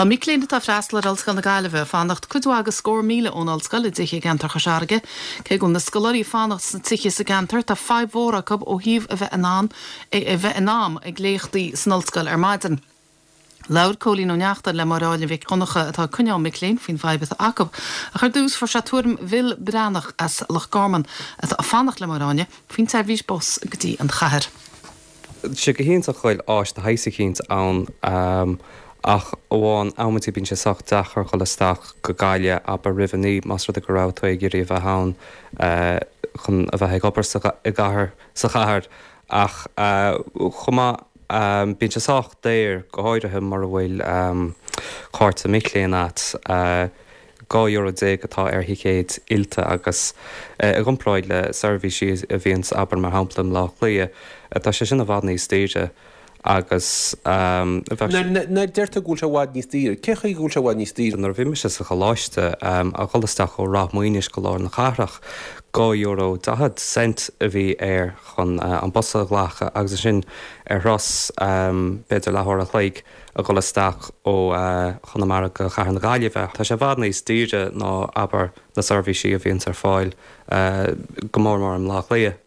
Tá mic léinn atá ag freastal ar Ollscoil na Gaillimhe ag fanacht cuid mhaith de scór míle ón ollscoil i dtithe i gceantar Chois Fharraige. Cé go bhfuil na scoláirí ag fanacht sna tithe sa gceantar, tá fadhb mhór acu ó thaobh a bheith in ann a bheith in am ag léachtaí san ollscoil ar maidin. Labhair Cóilín Ó Neachtain le Máire Áine Mhic Dhonncha atá ag coinneáil mic léinn faoin bhfadhb atá acu. Ach ar dtús fuair sé tuairim Bhill Breathnach as Loch Garman atá ag fanacht le Máire Áine faoin tseirbhís bus go dtí an chathair. Tá sé go hiontach go bhfuil áis de shaghas eicínt ann ach amháin amantaí bíonn sé sách deacair dhul isteach go Gaillimh abair roimh a naoi más rud é go raibh tú ag iarraidh a bheith ann chun a bheith ag obair sa i gcathair sa chathair ach chomh maith bíonn sé sách daor go háirithe mura bhfuil cárta mic léinn a't. €12 euro atá ar thicéid ILTA agus i gcomparáid le seirbhísí a bhíonns, abair, mar shampla i mBleá Cliath, tá sé sin i bhfad níos daoire agus bheadh sé. Nuair a deir tú go bhfuil sé i bhfad níos daoire, cé chaoi go bhfuil sé i bhfad níos daoire? Nuair a bhí mise sa choláiste, a dhul isteach ó Ráth Maoinis go lár na cathrach, €2 40 cent a bhí air chun an bus a ghlacadh agus ansin ar thuras b'fhéidir leathuair a chloig, a dhul isteach ó Chonamara go Cathair na Gaillimhe. Tá sé i bhfad níos daoire ná, abair, na seirbhísí a bhíonns ar fáil, go mór mór i mBleá Cliath.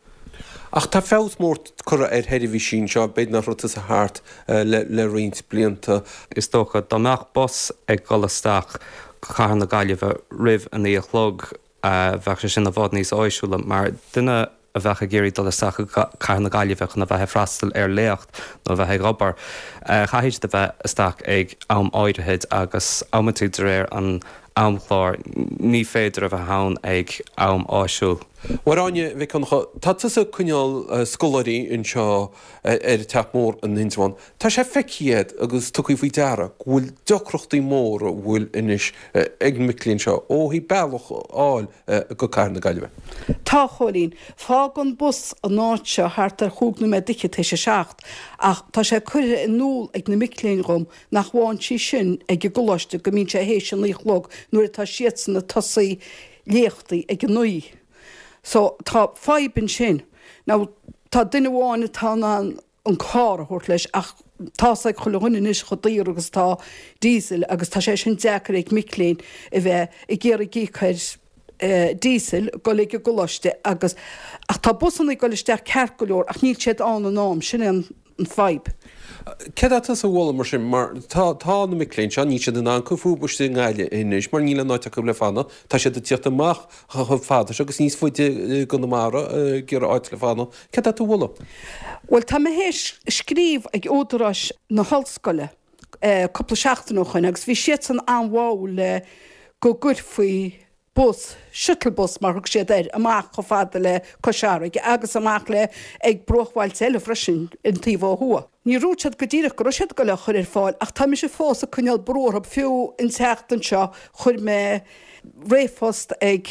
Ach tá feabhas mór curtha ar sheirbhísí anseo, b'fhéidir nach raibh tusa thart le roinnt blianta. Is dócha, dá mbeadh bus ag dhul isteach go Cathair na Gaillimhe roimh a naoi a chlog, Bheadh sé sin i bhfad níos áisiúla mar duine a bheadh ag iarraidh dul isteach go Cathair na Gaillimhe chun a bheith ag freastal ar léacht nó a bheith ag obair. Caithfidh siad a bheith isteach ag am áirithe agus amantaí de réir an amchláir ní féidir a bheith ann ag am áisiúil. Máire Áine Mhic Dhonncha, tá tusa ag coinneáil scoláirí anseo ar an Teach Mór in Indreabhán. Tá sé feicthe agat agus tugtha faoi deara go bhfuil deacrachtaí móra bhfuil anois ag na mic léinn seo ó thaobh bealach a fháil go Cathair na Gaillimhe. Tá, a Chóilín. Fágann bus an áit seo thart ar chúig nóiméad d'fhichead théis a seacht ach tá sé curtha in iúl ag na mic léinn dhom nach bhfaigheann sí sin ag an gcoláiste go mbíonn sé théis a naoi a chlog nuair atá siadsan ag tosaí léachtaí ag a naoi. So tá fadhb ansin. Now tá duine amháin atá in ann an carr a thabhairt leis ach tá's ag chuile dhuine anois chomh daor agus atá diesel agus tá sé sin deacair ag mic léinn a bheith ag iarraidh íoc ar diesel dul ag an gcoláiste agus ach tá busanna ag dul isteach ceart go leor ach níl siad ann in am, sin é an fadhb. Céard tá tusa a mholadh mar sin mar tá tá na mic léinn seo níl siad in ann cur fúthu istigh i nGaillimh anois mar níl aon áit acu le fanacht, tá siad ag tíocht amach chomh fada seo agus níos faide i gConamara ag iarraidh áit le fanacht. Céard tá tú a mholadh? Bhuel, tá mé théis scríobh ag údaráis na hollscoile cúpla seachtain ó shoin agus bhí siadsan an-bháúil le go gcuirfí bus, shuttle bus mar thug siad air, amach chomh fada le Cois Fharraige agus amach le ag bruachbhailte eile freisin an taobh ó thuaidh. Níor dhúirt siad go díreach go raibh siad ag goil á chur ar fáil ach tá mise fós ag coinneáil brú orthu, fiú an tseachtain seo chuir mé ríomhphost ag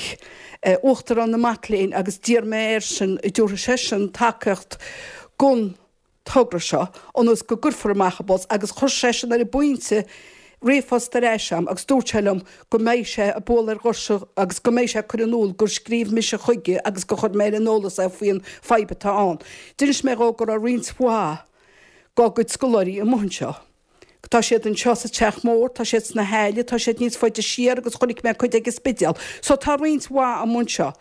Uachtarán na Mac Léinn agus d'iarr mé airsean an dtabharfadh seisean tacaíocht don togra seo ionas go gcuirfear amach an bus agus chuir seisean ar an bpointe ríomhphost ar ais a'm agus dúirt sé liom go mbeidh sé ag bualadh ar dhoirse agus go mbeidh sé ag cur in iúl gur scríobh mise chuige agus gur chuir mé ar an eolas é faoin fadhb atá ann. D'inis mé dhó go raibh roinnt mhaith dá gcuid scoláirí amuigh anseo. Tá siad anseo sa Teach Mór, tá siad sna hAille, tá siad níos faide siar agus chonaic mé cuid ag an Spidéal. So tá roinnt mhaith amuigh anseo.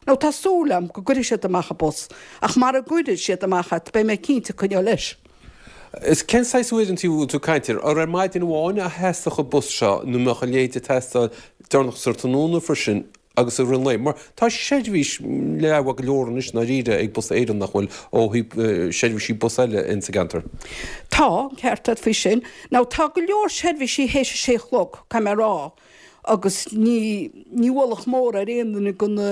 Now tá súil a'm go gcuirfidh siad amach an bus, ach mara gcuirfidh siad amach é beidh mé cinnte ag coinneáil leis. Is cén saghas uaireanta a bhfuil tú ag caint air? Ar ar maidin amháin a theastódh an bus seo nó mbeadh a leithéid ag teastáil deireanach sa tráthnóna freisin agus i rith an lae? Mar tá seirbhís leathmhaith go leor anois i ndáiríre ag Bus Éireann nach bhfuil ó thaobh seirbhísí bus eile insa gceantar. Tá, an ceart agat faoi sin. Now tá go leor seirbhísí théis a sé a chlog, caithfidh mé a rá. agus ní ní ualach mór ar aon duine de na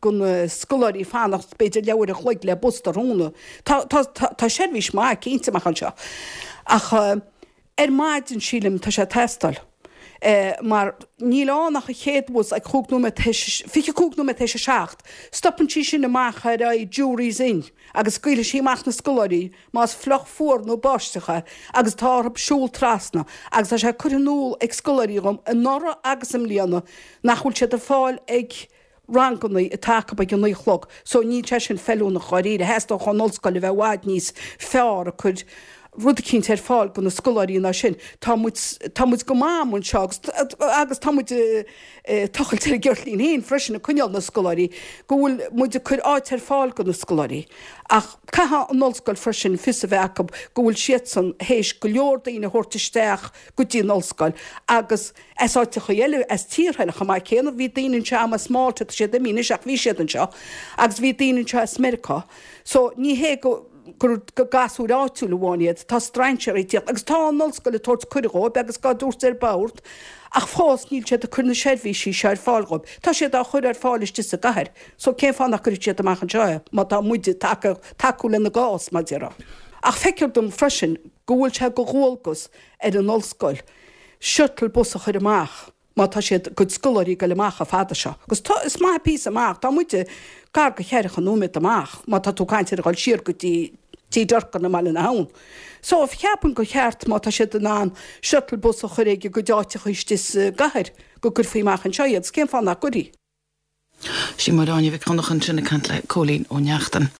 de na scoláirí fanacht b'fhéidir leathuair a chloig le bus tráthnóna. Tá tá tá seirbhís maith cinnte amach anseo ach ar maidin sílim tá sé ag teastáil mar níl ann ach an chéad bhus ag chúig nóiméad théis 25 nóiméad théis a 7. Stopann sí sin amach ar aghaidh Jury's Inn agus scaoilfidh sí amach na scoláirí más fliuch fuar nó báisteach é agus tá orthu siúl trasna agus tá sé curtha in iúl ag scoláirí dhom anuraidh agus i mbliana nach bhfuil siad ag fáil ag rangannaí atá acu ag a naoi a chlog so níl sé sin feiliúnach dháiríre. Theastódh ón ollscoil a bheith i bhfad níos fearr ag cur. rud eicínt ar fáil do na scoláirí ná sin. Tá muid, tá muid go maith amuigh anseo agus, agus tá muid ag tochailt ar an gceirtlín féin freisin ag coinneáil na scoláirí, go bhfuil muid ag cur áit ar fáil do na scoláirí. Ach caithfidh an ollscoil freisin fios a bheith acu go bhfuil siadsan théis go leor daoine a thabhairt isteach go dtí an ollscoil agus as áiteachaí eile, as tíortha eile chomh maith céanna. Bhí daoine anseo as Malta, tá siad imithe anois ach bhí siad anseo agus bhí daoine anseo as Meiriceá. So ní hé go. gur gasúir áitiúil amháin iad, tá strainséirí ag tíocht agus tá an ollscoil ag tabhairt cuireadh dhóibh agus á dtabhairt ar bord ach fós níl siad ag cur na seirbhísí seo ar fáil dhóibh. Tá siad á chur ar fáil istigh sa gcathair so cén fáth nach gcuirfidh siad amach anseo é má tá muid ag tacú lena gcás, mar déarfá. Ach feictear dom freisin go bhfuil sé de dhualgas ar an ollscoil shuttle bus a chur amach. má tá siad a gcuid scoláirí ag goil amach chomh fada seo. Agus tá, is maith an píosa amach, tá muide gar do cheathracha nóiméad amach má tá tú ag caint ar a dhul siar go dtí Tigh Durkan i mBaile na hAbhann. So, cheapfainn gur cheart má tá siad in ann shuttle bus a chur ag a gcuid áiteacha istigh sa gcathair go gcuirfí amach anseo iad, 's cén fáth nach gcuirfí? Sí Máire Áine Mhic Dhonncha ansin ag caint le Cóilín Ó Neachtain.